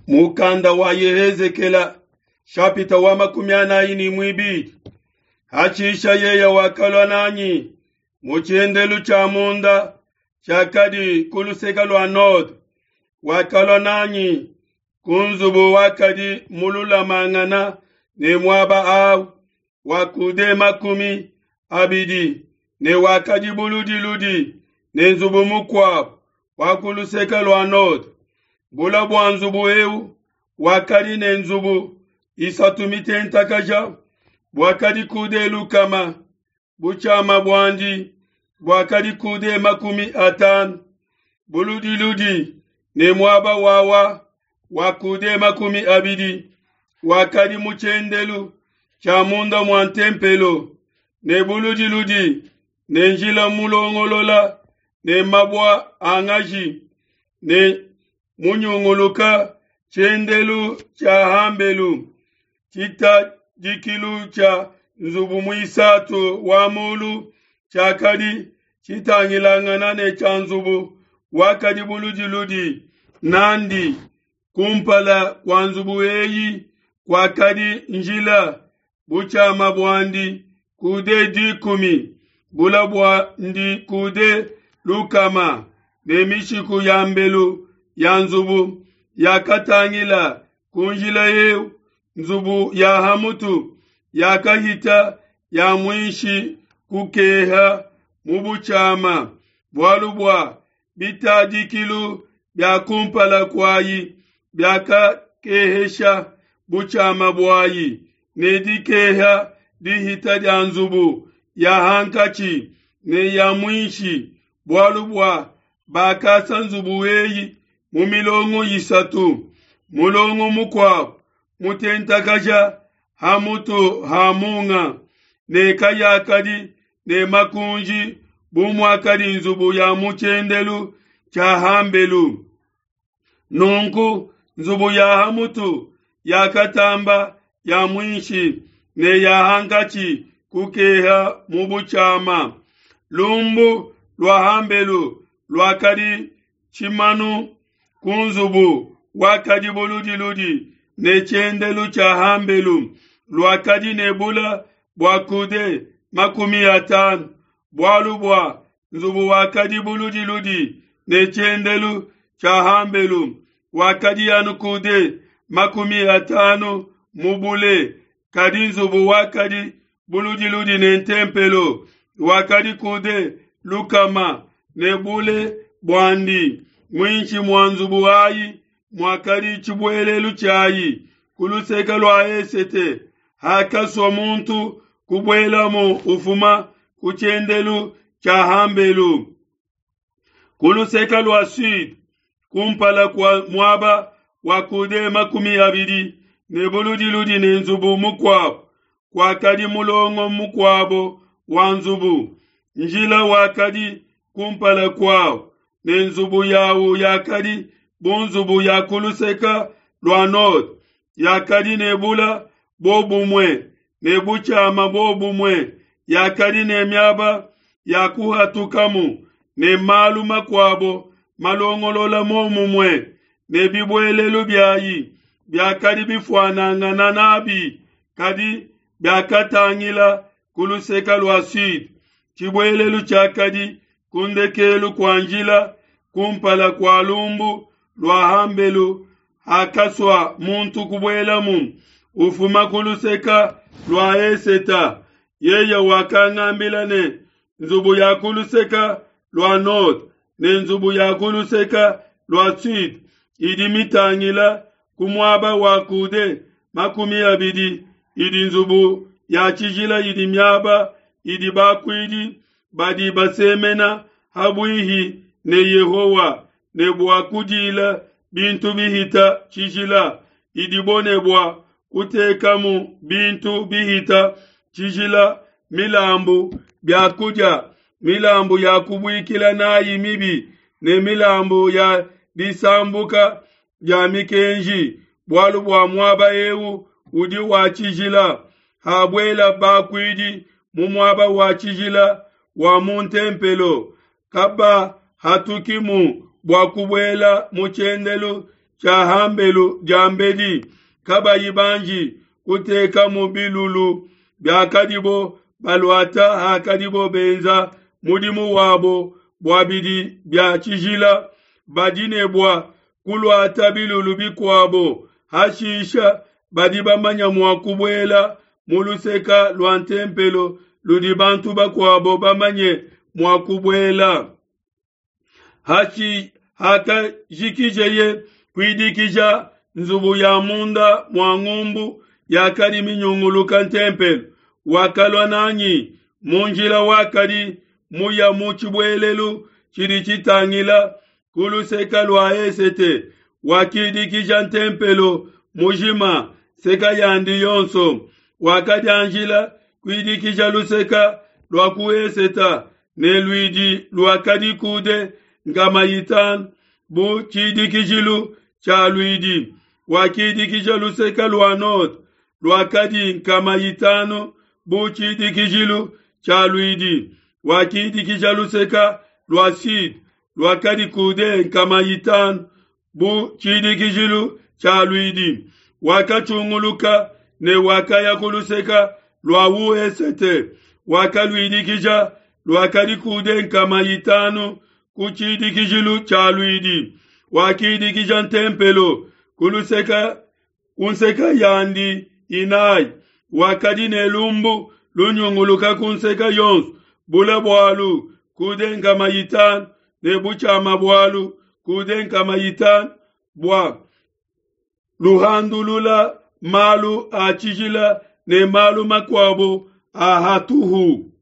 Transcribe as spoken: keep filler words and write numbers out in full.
Mukanda wa Yehezekela shapita wa makumi anayi ni mwibili hatshisha yeya wakalua nanyi mu tshiendelu tshia munda tshiakadi ku luseke lua node, wakalua nanyi ku nzubu wakadi mululamangana ne muaba awu wa kude makumi abidi ne wakadi buludiludi ne nzubu mukuabu wa ku luseke lua node. Bula bua nzubu eu wakadi ne nzubu isatu mitentakaja, buakadi kude lukama, butshiama buandi buakadi kude makumi atanu, buludiludi ne muaba wawa wa kude makumi abidi wakadi mu tshiendelu tshia munda mua ntempelo, ne buludiludi ne njila mulongolola ne mabua a ngaji ne munyunguluka tshiendelu tshia hambelu, tshitadikilu tshia nzubu muisatu wa mulu tshiakadi tshitangilangana ne tshia nzubu wakadi buludiludi nandi. Kumpala kua nzubu eyi kuakadi njila, butshiama buandi kude dikumi, bula buandi kude lukama, ne mishiku ya mbelu ya nzubu yakatangila ku njila eu. Nzubu ya hamutu yakahita ya muinshi kukeha mu butshiama, bualu bua bitadikilu bia kumpala kuayi biakakehesha butshiama buayi, ne dikeha dihita dia nzubu ya hankatshi ne ya muinshi, bualu bua bakasa nzubu eyi mu milongo isatu, mulongo mukuabu mutentakaja hamutu ha munga, ne kayakadi ne makunji bu muakadi nzubu ya mu tshiendelu tshia hambelu. Nunku nzubu ya hamutu yakatamba ya muinshi ne ya hankatshi kukeha mu butshiama. Lumbu lua hambelu luakadi tshimanu ku nzubu wakadi buludiludi ne tshiendelu tshia hambelu, luakadi ne bula bua kude makumi atanu, bualu bua nzubu wakadi buludiludi ne tshiendelu tshia hambelu wakadi anu kude makumi atanu mu bule, kadi nzubu wakadi buludiludi ne ntempelo wakadi kude lukama ne bule buandi. Muinshi mua nzubu ayi muakadi tshibuelelu tshiayi ku luseke lua esete, hakasua muntu kubuelamu ufuma ku tshiendelu tshia hambelu. Ku luseke lua sud, kumpala kua muaba wa kude makumi abidi ne buludiludi ne nzubu mukuabu, kuakadi mulongo mukuabo wa nzubu. Njila wakadi kumpala kuawu, ne nzubu yawu yakadi bu nzubu ya ku luseke lua node, yakadi ne bula bobumue ne butshiama bobumue, yakadi ne miaba ya kuhatukamu ne malu makuabo malongolola momumue, ne bibuelelu biayi biakadi bifuanangana nabi, kadi biakatangila ku luseke lua sud. Tshibuelelu tshiakadi ku ndekelu kua njila kumpala kua lumbu lua hambelu, hakasua muntu kubuelamu ufuma ku luseke lua eseta. Yeye wakangambila ne, nzubu ya ku luseke lua node ne nzubu ya ku luseke lua sud idi mitangila ku muaba wa kude makumi abidi idi nzubu ya tshijila, idi miaba idi bakuidi badi basemena habuihi ne Yehowa ne bua kudila bintu bihita tshijila, idibo ne bua kutekamu bintu bihita tshijila, milambu, biakudia, milambu ya kubuikila nayi mibi ne milambu ya disambuka dia mikenji, bualu bua muaba eu udi wa tshijila. Habuela bakuidi mu muaba wa tshijila wa mu ntempelo, kabahatukimu bua kubuela mu tshiendelu tshia hambelu diambedi kabayi banji kutekamu bilulu biakadibo baluata hakadibo benza mudimu wabo bua bidi bia tshijila, badi ne bua kuluata bilulu bikuabo. Hashisha badi bamanya mua kubuela mu luseke lua ntempelo ludi bantu bakuabo bamanye mua kubuela. Hashi hakajikijeye kuidikija nzubu ya munda mua ngumbu yakadi minyunguluka ntempelo, wakalua nanyi mu njila wakadi muya mu tshibuelelu tshidi tshitangila ku luseke lua esete, wakidikija ntempelo mujima nseka yandi yonso. Wakadianjila kuidikija luseke lua ku esete ne luidi luakadi coude nkama itanu bu tshidikijilu tshia luidi. Wakidikija luseke lua node luakadi nkama itanu bu tshidikijilu tshia luidi. Wakidikija luseke lua sud luakadi coude nkama itanu bu tshidikijilu tshia luidi. Wakatshunguluka ne wakaya ku luseke lua wesete, wakaluidikija luakadi coude nkama itanu ku tshidikijilu tshia luidi. Wakidikija ntempelo ku luseke ku nseke yandi inayi, wakadi ne lumbu lunyunguluka ku nseke yonso, bule bualu coude nkama itanu ne butshiama bualu coude nkama itanu bua luhandulula malu a tshijila ne malu makuabo a hatuhu.